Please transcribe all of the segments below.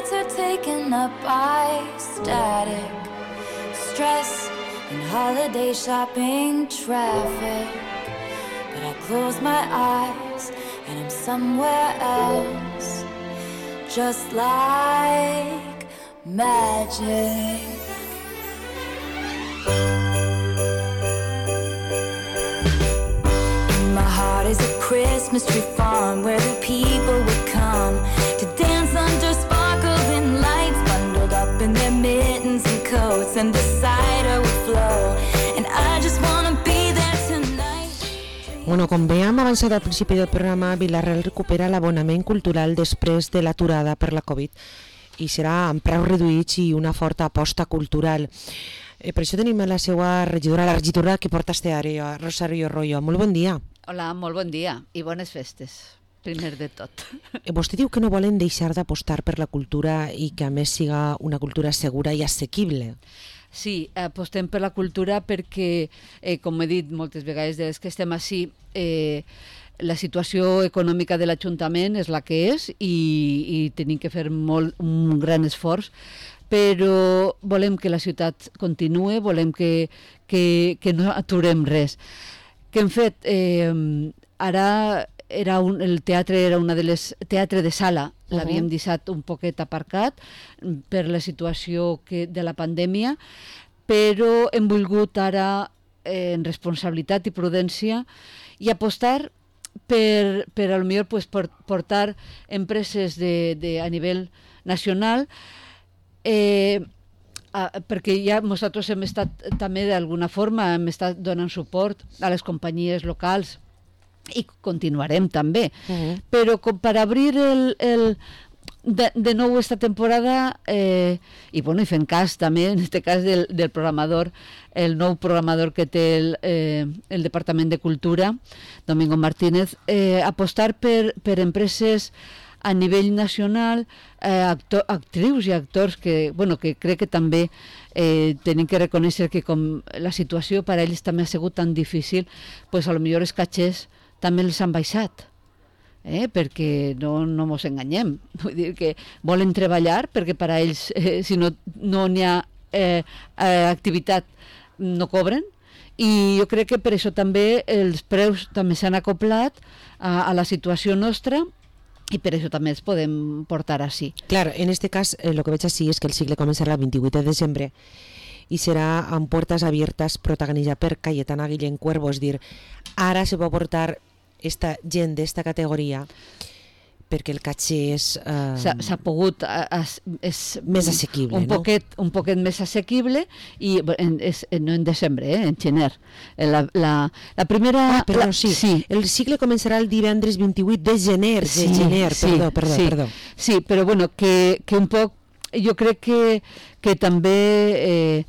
nights are taken up by static, stress and holiday shopping traffic. But I close my eyes and I'm somewhere else, just like magic. In my heart is a Christmas tree farm where the people would come to dance under sparkling lights, bundled up in their mittens and coats, and the cider would flow, and I just wanna be there tonight. Bueno, com bé hem avançat al principi del programa, Vila-real recupera l'abonament cultural després de l'aturada per la Covid i serà amb preus reduïts i una forta aposta cultural. Per això tenim la seva regidora, la regidora que porta este àrea, Rosario Royo. Molt bon dia. Hola, molt bon dia i bones festes, primer de tot. Vostè diu que no volen deixar d'apostar per la cultura i que a més siga una cultura segura i assequible. Sí, apostem per la cultura perquè, com he dit moltes vegades des que estem així, la situació econòmica de l'Ajuntament és la que és i tenim que fer un gran esforç, però volem que la ciutat continuï, volem que no aturem res. Què hem fet? Ara el teatre era una de les... Teatre de sala, l'havíem deixat un poquet aparcat per la situació de la pandèmia, però hem volgut ara, en responsabilitat i prudència, i apostar per a lo millor portar empreses a nivell nacional, perquè ja nosaltres hem estat també d'alguna forma hem estat donant suport a les companyies locals i continuarem també, però com per obrir de nou esta temporada i fent cas també en aquest cas del programador, el nou programador que té el Departament de Cultura, Domingo Martínez, apostar per empreses a nivell nacional, actrius i actors que crec que també tenim que reconèixer que com la situació per a ells també ha sigut tan difícil, doncs a lo millor els catxers també els han baixat, perquè no ens enganyem. Vull dir que volen treballar perquè per a ells, si no n'hi ha activitat, no cobren, i jo crec que per això també els preus també s'han acoplat a la situació nostra, i per això també els podem portar així. Claro, en este cas, lo que veig així és que el cicle començarà el 28 de desembre i serà amb portes abiertes protagonitzat per Cayetana Guillén Cuervo, és dir, ara se pot portar esta gent d'esta categoria perquè el caché s'ha pogut és més assequible, un poquet més assequible i no en desembre, en gener. La primera... sí. El cicle començarà el divendres 28 de gener. Perdó. Sí, però bueno, que un poc jo crec que també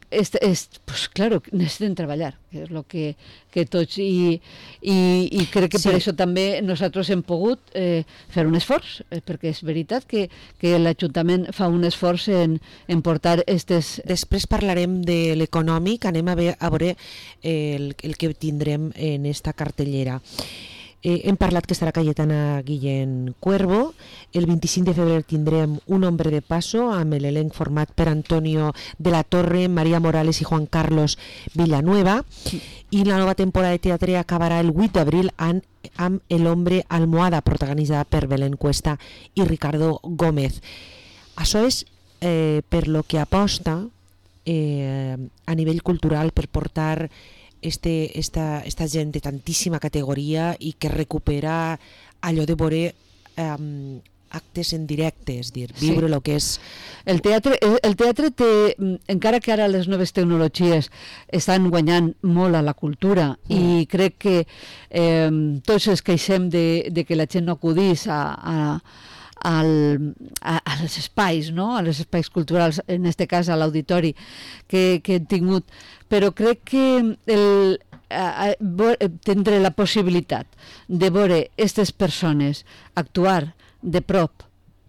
pues claro, necessiten treballar, que és el que tots, i crec que per això també nosaltres hem pogut fer un esforç, perquè és veritat que l'Ajuntament fa un esforç en portar aquestes... Després parlarem de l'econòmic, anem a veure el que tindrem en esta cartellera. Hem parlat que estarà Cayetana Guillén Cuervo. El 25 de febrer tindrem Un hombre de paso amb l'elenc format per Antonio de la Torre, María Morales i Juan Carlos Villanueva, i la nova temporada de teatre acabarà el 8 d'abril amb El hombre almohada, protagonitzada per Belén Cuesta i Ricardo Gómez. Això és per lo que aposta a nivell cultural per portar esta gent de tantíssima categoria i que recupera allò de veure actes en directe, és dir, viure el que és... El teatre té, encara que ara les noves tecnologies estan guanyant molt a la cultura i crec que tots ens queixem de que la gent no acudís als espais, no? A els espais culturals, en aquest cas a l'auditori que hem tingut, però crec que tindré la possibilitat de veure aquestes persones actuar de prop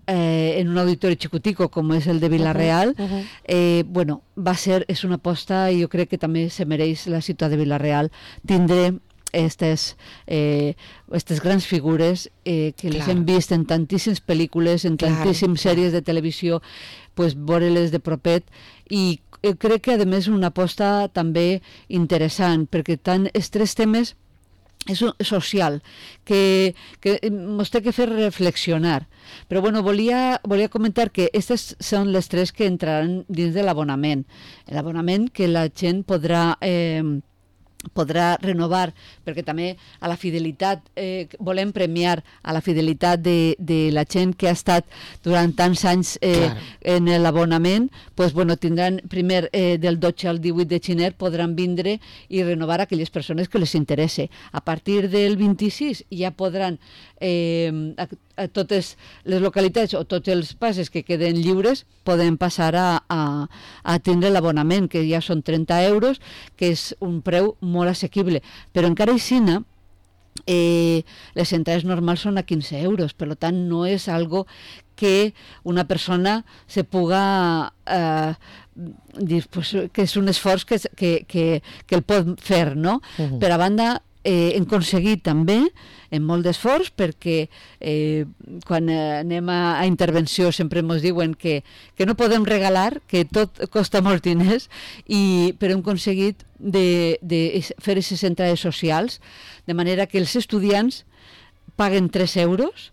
en un auditori xicutico com és el de Vila-real, és una aposta i jo crec que també se mereix la ciutat de Vila-real tindre estes grans figures que les hem vist en tantíssimes pel·lícules, en tantíssimes sèries de televisió, pues, veure-les de propet, i crec que a més una aposta també interessant, perquè tant els tres temes és social, que ens té que fer reflexionar. Però bueno, volia comentar que aquestes són les tres que entraran dins de l'abonament. L'abonament que la gent podrà renovar, perquè també a la fidelitat, volem premiar a la fidelitat de la gent que ha estat durant tants anys en l'abonament. Pues, bueno, tindran primer del 12 al 18 de gener podran vindre i renovar aquelles persones que les interesse. A partir del 26 ja podran a totes les localitats o tots els passes que queden lliures poden passar a tindre l'abonament, que ja són 30 euros, que és un preu molt assequible, però encara així les entrades normals són a 15 euros, per tant no és algo que una persona se puga dir pues, que és un esforç que el pot fer, no? Per a banda, hem aconseguit també en molt d'esforç, perquè quan anem a intervenció sempre ens diuen que no podem regalar, que tot costa molts diners, però hem aconseguit de fer aquestes entrades socials, de manera que els estudiants paguen 3 euros,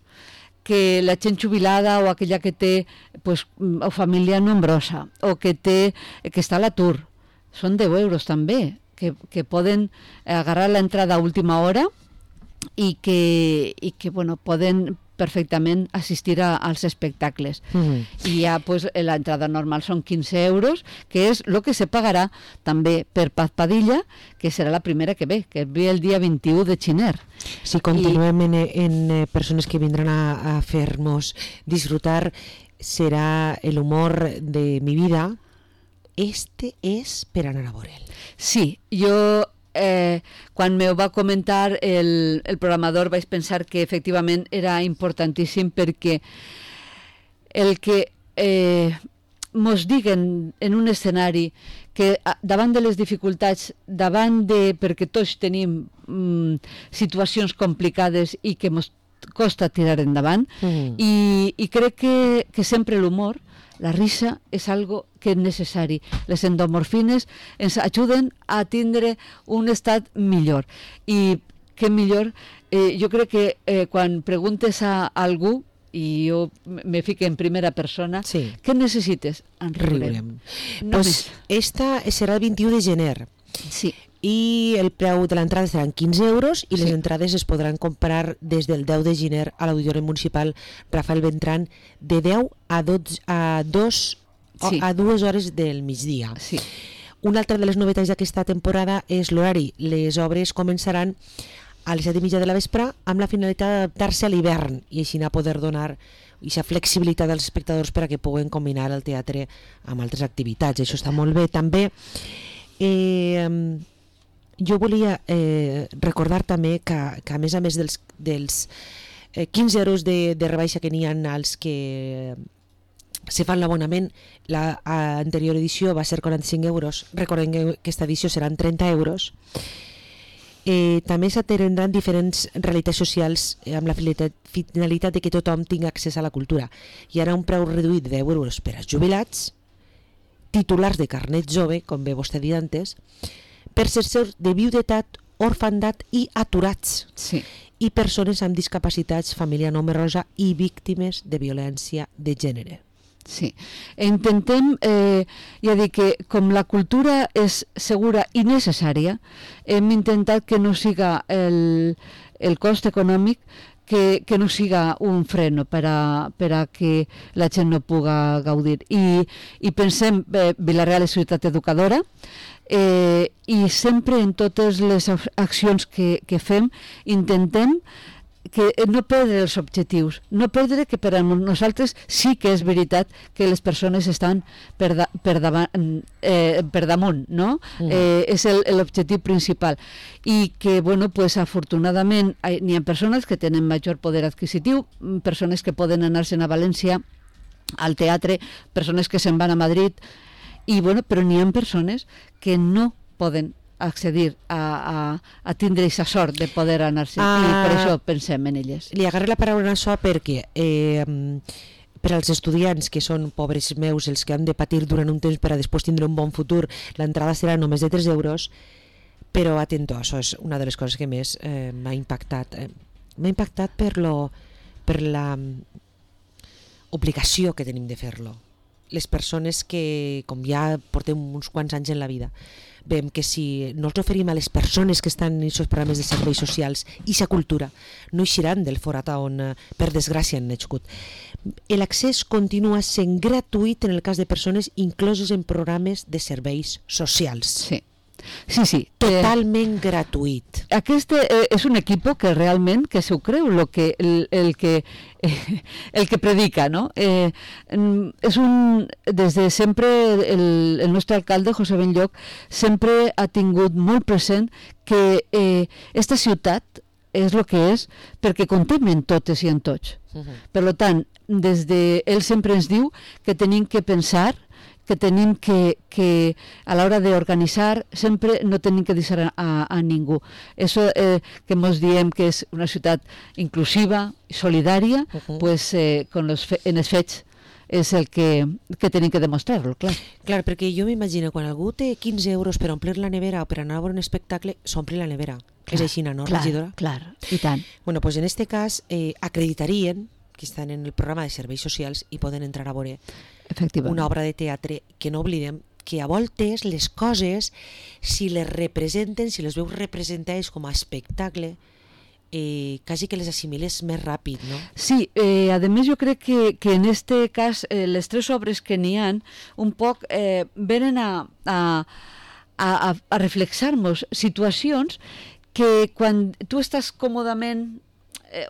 que la gent jubilada o aquella que té pues, o família nombrosa o que està a l'atur, són 10 euros també, que poden agarrar l'entrada a última hora i que bueno, poden perfectament assistir als espectacles. I ja pues, l'entrada normal són 15 euros, que és el que se pagarà també per Paz Padilla, que serà la primera que ve el dia 21 de gener. Si continuem en persones que vindran a fer-nos disfrutar, serà el humor de mi vida. Este és per anar a veure'l. Sí, jo quan me ho va comentar el programador vaig pensar que efectivament era importantíssim, perquè el que mos diguen en un escenari que davant de les dificultats, perquè tots tenim situacions complicades i que mos costa tirar endavant, i crec que sempre l'humor, la risa, és algo que és necessari. Les endorfines ens ajuden a tindre un estat millor. I què millor, jo crec que quan preguntes a algú, i jo me fico en primera persona, què necessites? Riurem. Pues esta serà el 21 de gener. Sí. I el preu de l'entrada seran 15 euros i les entrades es podran comprar des del 10 de gener a l'Auditori Municipal Rafael Beltrán de 10 a 2 hores del migdia. Sí. Una altra de les novetats d'aquesta temporada és l'horari. Les obres començaran a les 7:30 de la vespre amb la finalitat d'adaptar-se a l'hivern i així a poder donar aquesta flexibilitat als espectadors per a que puguen combinar el teatre amb altres activitats. Això està molt bé. També jo volia recordar també que a més dels 15 euros de rebaixa que n'hi ha als que se fan l'abonament, l'anterior edició va ser 45 euros, recordem que aquesta edició seran 30 euros. També s'atendran diferents realitats socials amb la finalitat de que tothom tingui accés a la cultura. Hi haurà un preu reduït de 10 euros per als jubilats, titulars de carnet jove, com bé vostè ha dit antes, per ser de viudetat, orfandat i aturats, i persones amb discapacitats, família nombrosa i víctimes de violència de gènere. Sí, intentem, ja dic que com la cultura és segura i necessària, hem intentat que no siga el cost econòmic, que no siga un freno per a que la gent no puga gaudir. I pensem, Vila-real és ciutat educadora, i sempre en totes les accions que fem intentem que no perdre els objectius, no perdre que per a nosaltres sí que és veritat que les persones estan per damunt, no? És l'objectiu principal. I que, bueno, pues afortunadament n'hi ha persones que tenen major poder adquisitiu, persones que poden anar-se'n a València al teatre, persones que se'n van a Madrid, i bueno, però n'hi ha persones que no poden accedir a tindre aquesta sort de poder anar-se, i per això pensem en elles. Li agarré la paraula en això perquè per als estudiants que són pobres meus, els que han de patir durant un temps per a després tindre un bon futur, l'entrada serà només de 3 euros, però atento, això és una de les coses que més m'ha impactat. M'ha impactat per la obligació que tenim de fer-lo. Les persones que, com ja portem uns quants anys en la vida, veiem que si no els oferim a les persones que estan en aquests programes de serveis socials i sa cultura, no eixiran del forat on, per desgràcia, han nascut. L'accés continua sent gratuït en el cas de persones incloses en programes de serveis socials. Sí. Totalment gratuït. Aquest és un equip que realment que s'ho creu el que predica, no? Des de sempre el nostre alcalde, José Benlloch, sempre ha tingut molt present que esta ciutat és el que és perquè comptem en totes i en tots. Per tant, ell sempre ens diu que tenim que pensar, que tenim que a l'hora d'organitzar sempre no tenim que deixar a ningú. Això que ens diem que és una ciutat inclusiva i solidària, pues, en els fets és el que tenim que demostrar-lo, clar. Clar, perquè jo m'imagino, quan algú té 15 euros per omplir la nevera o per anar a veure un espectacle, s'ompli la nevera. Clar, és així, no, regidora? Clar, i tant. Bueno, pues en este cas acreditarien que estan en el programa de serveis socials i poden entrar a veure una obra de teatre, que no oblidem que a voltes les coses, si les representen, si les veus representades com a espectacle, quasi que les assimiles més ràpid, no? Sí, a més jo crec que en este cas les 3 obres que n'hi ha un poc venen a reflexar-nos situacions que quan tu estàs còmodament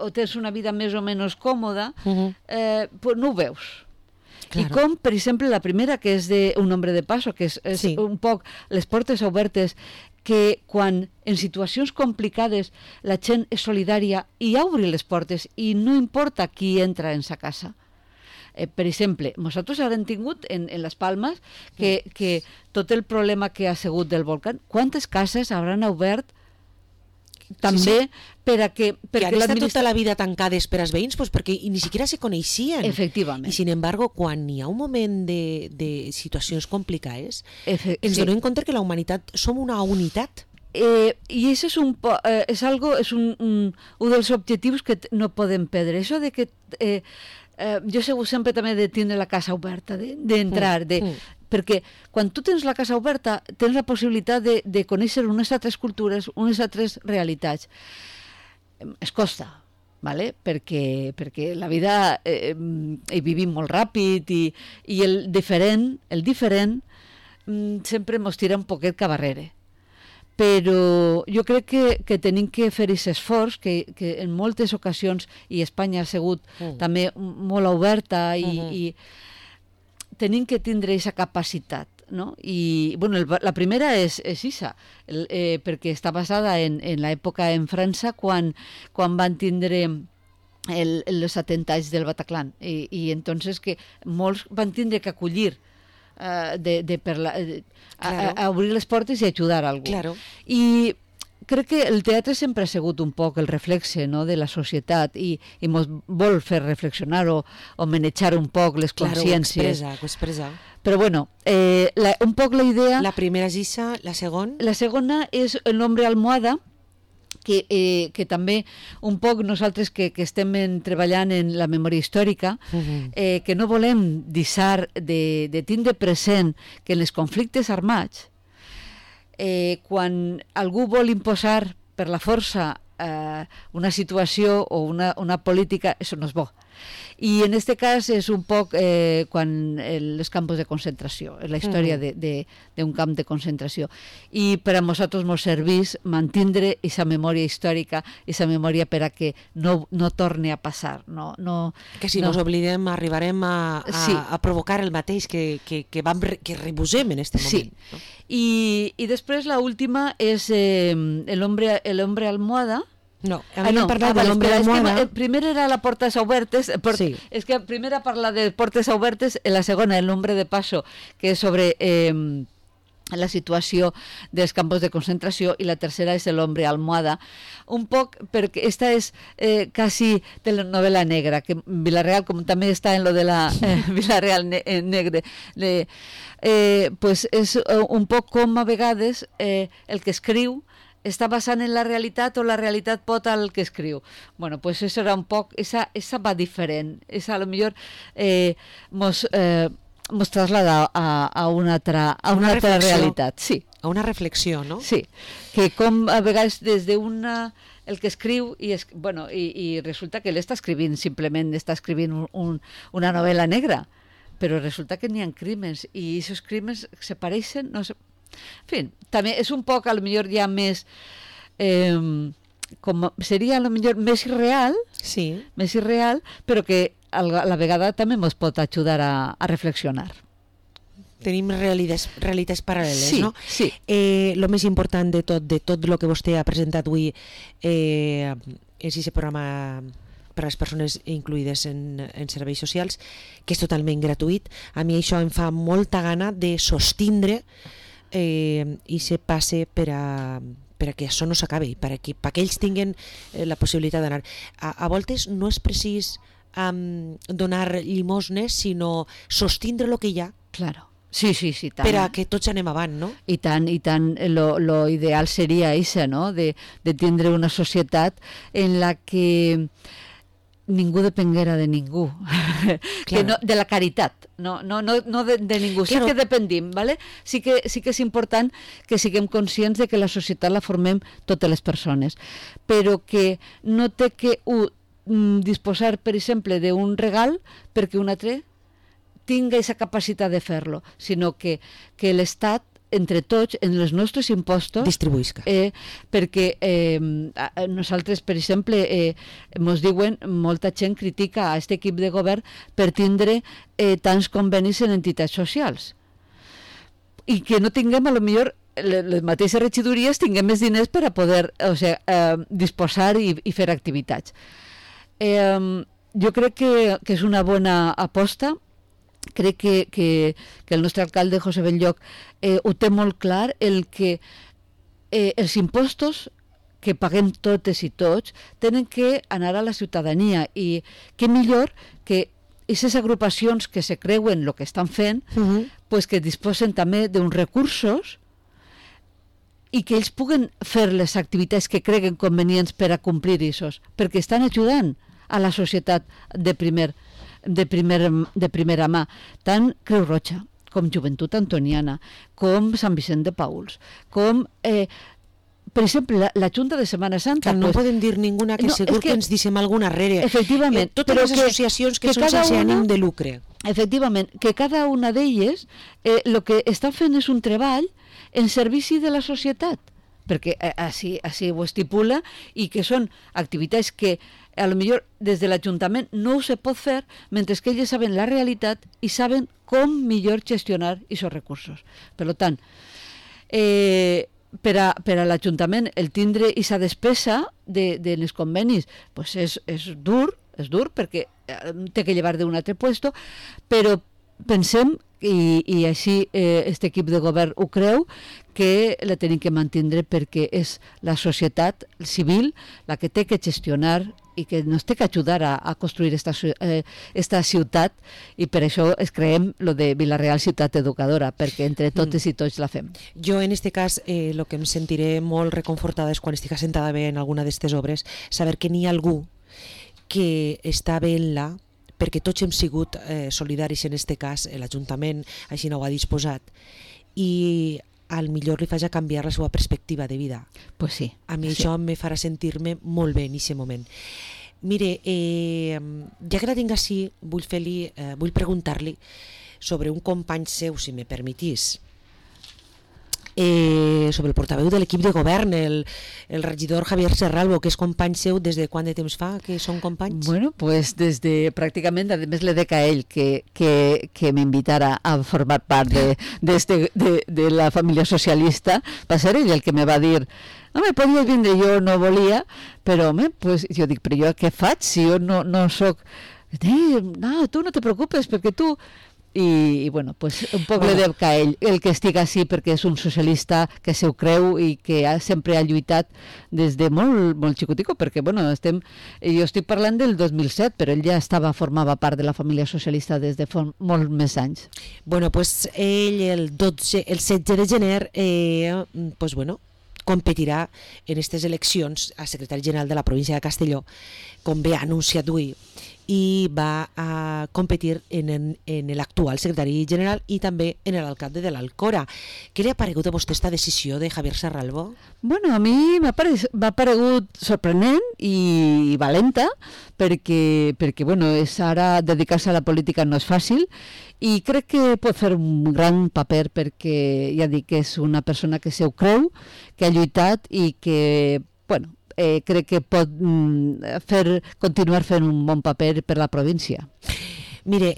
o tens una vida més o menys còmoda, pues no ho veus. Claro. I com, per exemple, la primera, que és d'un hombre de paso, que és un poc les portes obertes, que quan en situacions complicades la gent és solidària i obre les portes i no importa qui entra en sa casa. Per exemple, nosaltres ara hem tingut en les Palmes que tot el problema que ha sigut del volcán, quantes cases hauran obert també perquè han estat tota la vida tancades per als veïns, pues perquè ni siquiera se coneixien. Efectivament. I sin embargo, quan hi ha un moment de situacions complicades, ens donem compte que la humanitat som una unitat. I això és un dels objectius que no podem perdre. Això de que jo segur sempre també de tindre la casa oberta, d'entrar, perquè quan tu tens la casa oberta tens la possibilitat de conèixer unes altres cultures, unes altres realitats. Es costa, ¿vale? perquè la vida hi vivim molt ràpid i el diferent sempre ens tira un poquet cap arrere. Però jo crec que tenim que fer aquest esforç que en moltes ocasions, i Espanya ha sigut també molt oberta i tenim que tindre aquesta capacitat, no? I bueno, la primera és Isa, perquè està basada en l'època en França quan van tindre els atemptats del Bataclan i entonces que molts van tindre que acollir a obrir les portes i ajudar a algú. Claro. I crec que el teatre sempre ha sigut un poc el reflexe, no?, de la societat i ens vol fer reflexionar o manejar un poc les consciències. Ho expressa. Però bueno, un poc la idea... La primera és Isa, la segona? La segona és El nombre almohada, que també un poc nosaltres que estem treballant en la memòria històrica, que no volem deixar de tindre present que en els conflictes armats, quan algú vol imposar per la força una situació o una política, això no és bo. I en aquest cas és un poc quan els campos de concentració, la història d'un camp de concentració. I per a nosaltres ens serveix mantindre aquesta memòria històrica, aquesta memòria per a que no torni a passar. Que si no ens oblidem arribarem a provocar el mateix que rebusem en aquest moment. Sí. I després l'última és El hombre almohada. No, havíem parlat de l'Hombre Almohada. Primer era la Portes Obertes, és que primera parla de Portes Obertes, la segona El Nombre de Paso, que és sobre la situació dels campos de concentració, i la tercera és l'hombre almohada, un poc perquè esta és quasi de la novel·la negra, que Vila-real, com també està en lo de la Vila-real negre, pues és un poc com a vegades el que escriu està basant en la realitat o la realitat pot al que escriu. Bueno, pues eso era un poc, esa va diferent, esa a lo millor mos traslada a una altra realitat, sí. A una reflexió, no? Sí, que com a vegades des d'una el que escriu i resulta que ell està escrivint una novel·la negra, però resulta que n'hi ha crímens i aquests crímens se pareixen, no sé. En fi, també és un poc, a lo millor ja més com seria a lo millor més irreal, sí, més irreal, però que a la vegada també ens pot ajudar a reflexionar. Tenim realitats paral·leles, sí, no? Sí. Lo més important de tot el que vostè ha presentat avui és aquest programa per a les persones incluïdes en serveis socials, que és totalment gratuït. A mi això em fa molta gana de sostindre i se passe per a que això no s'acabi, perquè ells tinguin la possibilitat d'anar. A voltes no és precís donar llimosnes, sinó sostindre el que hi ha. Claro. Sí, tant. Per a que tots anem avant, no? I tant, lo ideal seria això, no? De tindre una societat en la que ningú depenguera de ningú, que no, de la caritat, no de ningú, sí que dependim, ¿vale? Sí que és important que siguem conscients de que la societat la formem totes les persones, però que no té que disposar, per exemple, d'un regal perquè un altre tinga aquesta capacitat de fer-lo, sinó que l'Estat, entre tots, en els nostres impostos, distribuïsca. Perquè nosaltres, per exemple, ens diuen, molta gent critica a aquest equip de govern per tindre tants convenis en entitats socials. I que no tinguem, a lo millor, les mateixes regidories tinguem més diners per a poder disposar i fer activitats. Jo crec que és una bona aposta. Crec que el nostre alcalde, José Belloc, ho té molt clar, el que els impostos que paguem totes i tots tenen que anar a la ciutadania, i què millor que aquestes agrupacions que se creuen el que estan fent, pues que disposen també d'uns recursos i que ells puguen fer les activitats que creguen convenients per a complir aquests, perquè estan ajudant a la societat de primera mà, tant Creu Roja com Joventut Antoniana, com Sant Vicent de Pauls, com per exemple la Junta de Setmana Santa. Que no podem dir ninguna, que segur que ens deixem alguna arrere. Efectivament. Totes les associacions que són sense ànim de lucre. Efectivament, que cada una d'elles el que estan fent és un treball en servici de la societat, perquè així ho estipula, i que són activitats que a lo millor des de l'Ajuntament no se pot fer, mentre que ells saben la realitat i saben com millor gestionar aquests recursos. Per tant, per a l'Ajuntament el tindre aquesta despesa de les convenis pues és dur perquè té que llevar d'un altre puesto, però pensem, i així aquest equip de govern ho creu, que la tenim que mantindre perquè és la societat civil la que té que gestionar i que ens té que ajudar a construir esta ciutat, i per això es creem lo de Vila-real Ciutat Educadora, perquè entre totes i tots la fem. Jo en este cas el que em sentiré molt reconfortada és quan estic assentada bé en alguna d'aquestes obres, saber que n'hi ha algú que està veient-la, perquè tots hem sigut solidaris en este cas, l'Ajuntament així no ho ha disposat, i al millor li faig a canviar la seva perspectiva de vida. Pues sí. A mi això me farà sentir-me molt bé en aquest moment. Mire, ja que la tinc així, vull preguntar-li sobre un company seu, si me permetís, sobre el portaveu de l'equip de govern, el regidor Javier Serralbo, que és company seu des de quant de temps fa que són companys? Bueno, pues des de pràcticament, a més le dec a ell que m'invitara a formar part de la família socialista. Va ser ell el que me va dir, home, podies vindre, jo no volia, però home, pues jo dic, però jo què faig si jo no soc... No, tu no te preocupes, perquè tu... i bueno, pues un poc li deu que ell, el que estigui així perquè és un socialista que se ho creu i que sempre ha lluitat des de molt xicutico, perquè bueno, jo estic parlant del 2007, però ell ja formava part de la família socialista des de molts més anys. Bueno, pues ell el 16 de gener pues bueno, competirà en aquestes eleccions a secretari general de la província de Castelló, com bé ha anunciat avui, i va a competir en l'actual secretari general i també en l'alcalde de l'Alcora. Què li ha paregut a vostè esta decisió de Javier Serralbo? Bueno, a mi m'ha paregut sorprenent i valenta perquè bueno, ara dedicar-se a la política no és fàcil i crec que pot fer un gran paper perquè ja dic que és una persona que se ho creu, que ha lluitat i que, bueno, crec que pot continuar fent un bon paper per la província. Mire,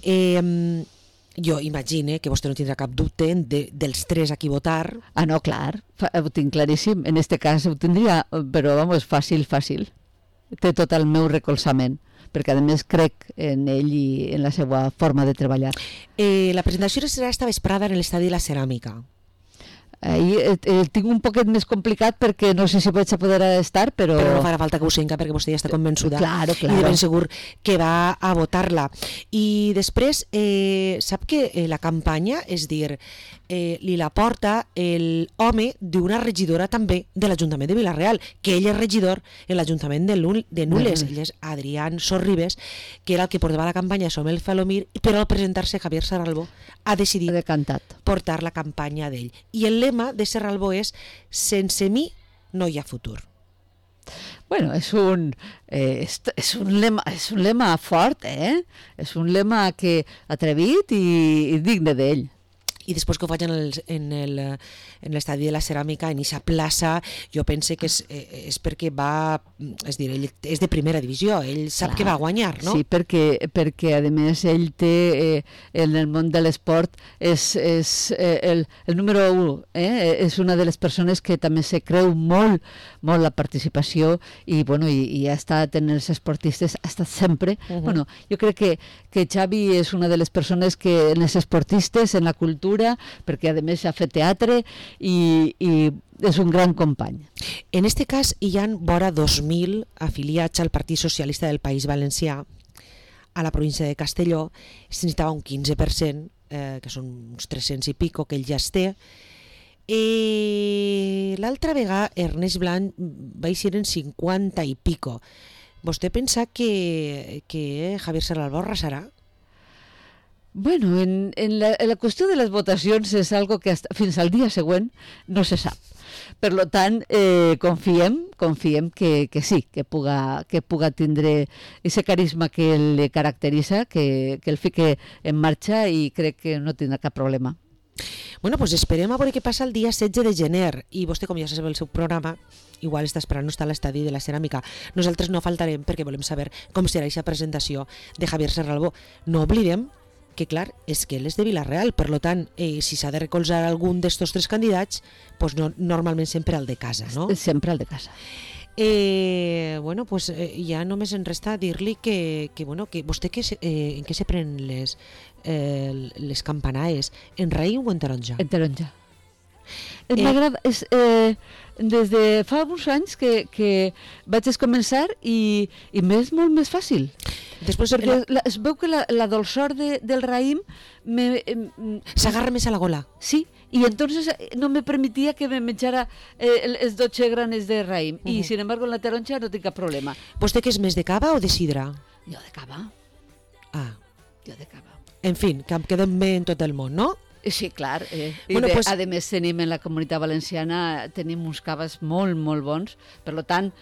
jo imagine que vostè no tindrà cap dubte dels tres a qui votar. Ah, no, clar, ho tinc claríssim. En este cas ho tindria, però vamos, fàcil. Té tot el meu recolzament, perquè a més crec en ell i en la seva forma de treballar. La presentació serà esta vesprada en l'Estadi de la Ceràmica. El tinc un poquet més complicat perquè no sé si vaig a poder estar, però no farà falta que ho senca perquè vostè ja està convençuda. Claro. I de ben segur que va a votar-la. I després, sap que la campanya, és dir, li la porta l'home d'una regidora també de l'Ajuntament de Vila-real, que ell és regidor en l'Ajuntament de Nules. Ell és Adrián Sorribes, que era el que portava la campanya Som el Falomir, però al presentar-se Javier Serralbo ha decidit portar la campanya d'ell. I el lema de Serralbo és sense mi no hi ha futur. Bueno, és un lema fort, És un lema que atrevit i digne d'ell. I després que ho faig en l'estadi de la Ceràmica, en aquesta plaça, jo pense que és perquè va, és dir, ell és de primera divisió, ell sap que va guanyar, no? Sí, perquè a més ell té, en el món de l'esport, és el número 1, és una de les persones que també se creu molt la participació i ha estat en els esportistes, ha estat sempre. Bueno, jo crec que Xavi és una de les persones que en els esportistes, en la cultura, perquè a més ha fet teatre i és un gran company. En este cas hi ha vora 2.000 afiliats al Partit Socialista del País Valencià a la província de Castelló. Se necessitava un 15%, que són uns 300 i pico que ell ja es té. L'altra vegada Ernest Blanc va eixir en 50 i pico. Vostè pensa que Javier Serralbo arrasarà? Bueno, en la qüestió de les votacions és algo que fins al dia següent no se sap. Per tant, confiem que sí, que puga tindre aquest carisma que el caracteritza, que el fique en marxa i crec que no tindrà cap problema. Bueno, pues esperem a veure què passa el dia 16 de gener i vostè, com ja sap el seu programa, igual està esperant no està a l'estadi de la Ceràmica. Nosaltres no faltarem perquè volem saber com serà aquesta presentació de Javier Serralbo. No oblidem que clar, és que ell és de Vila-real, per tant, si s'ha de recolzar algun d'estos tres candidats, pues no, normalment sempre el de casa, no? Sempre el de casa. Bueno, pues ja només em resta dir-li que vostè en què se pren les campanaes? En raïm o en taronja? En taronja. M'agrada, des de fa uns anys que vaig començar i m'és molt més fàcil. Després perquè es veu que la dolçor del raïm s'agarra més a la gola. Sí, y entonces no me permitía que me menjara els 12 granes de raïm i sin embargo en la taronja no tinc cap problema. Vostè que és més de cava o de sidra? Jo de cava. Jo de cava. En fi, que quedem bé en tot el món, no? Sí, clar. Bueno, a més tenim en la Comunitat Valenciana tenim uns caves molt bons, per tant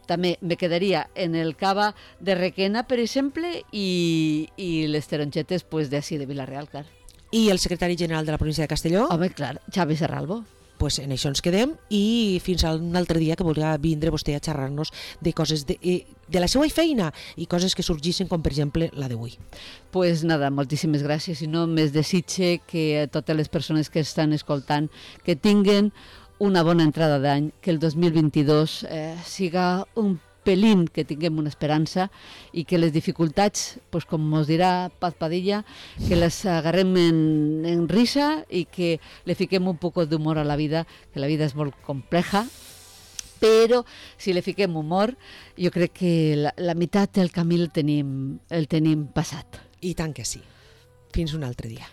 també me quedaria en el cava de Requena, per exemple, i les tarongetes d'ací de Vila-real, clar. I el secretari general de la província de Castelló? Home, clar, Xavi Serralbo. Pues en això ens quedem i fins a un altre dia que voldrà vindre vostè a xerrar-nos de coses de la seva feina i coses que sorgissin, com per exemple la d'avui. Pues nada, moltíssimes gràcies i no més desitge que totes les persones que estan escoltant que tinguen una bona entrada d'any, que el 2022 siga un pelín que tinguem una esperança i que les dificultats, pues, com ens dirà Paz Padilla, que les agarrem en risa i que le fiquem un poc d'humor a la vida, que la vida és molt compleja, però si le fiquem humor, jo crec que la meitat del camí el tenim passat. I tant que sí. Fins un altre dia.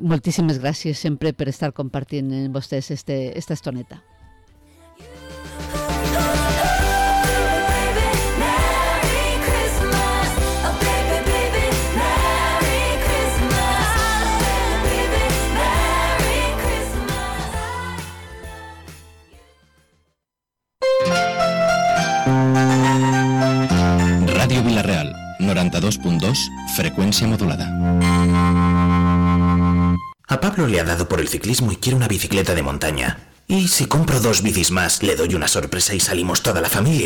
Moltíssimes gràcies sempre per estar compartint amb vostès esta estoneta. Ràdio Vila-real, 92.2, frecuencia modulada. A Pablo le ha dado por el ciclismo y quiere una bicicleta de montaña. Y si compro 2 bicis más, le doy una sorpresa y salimos toda la familia.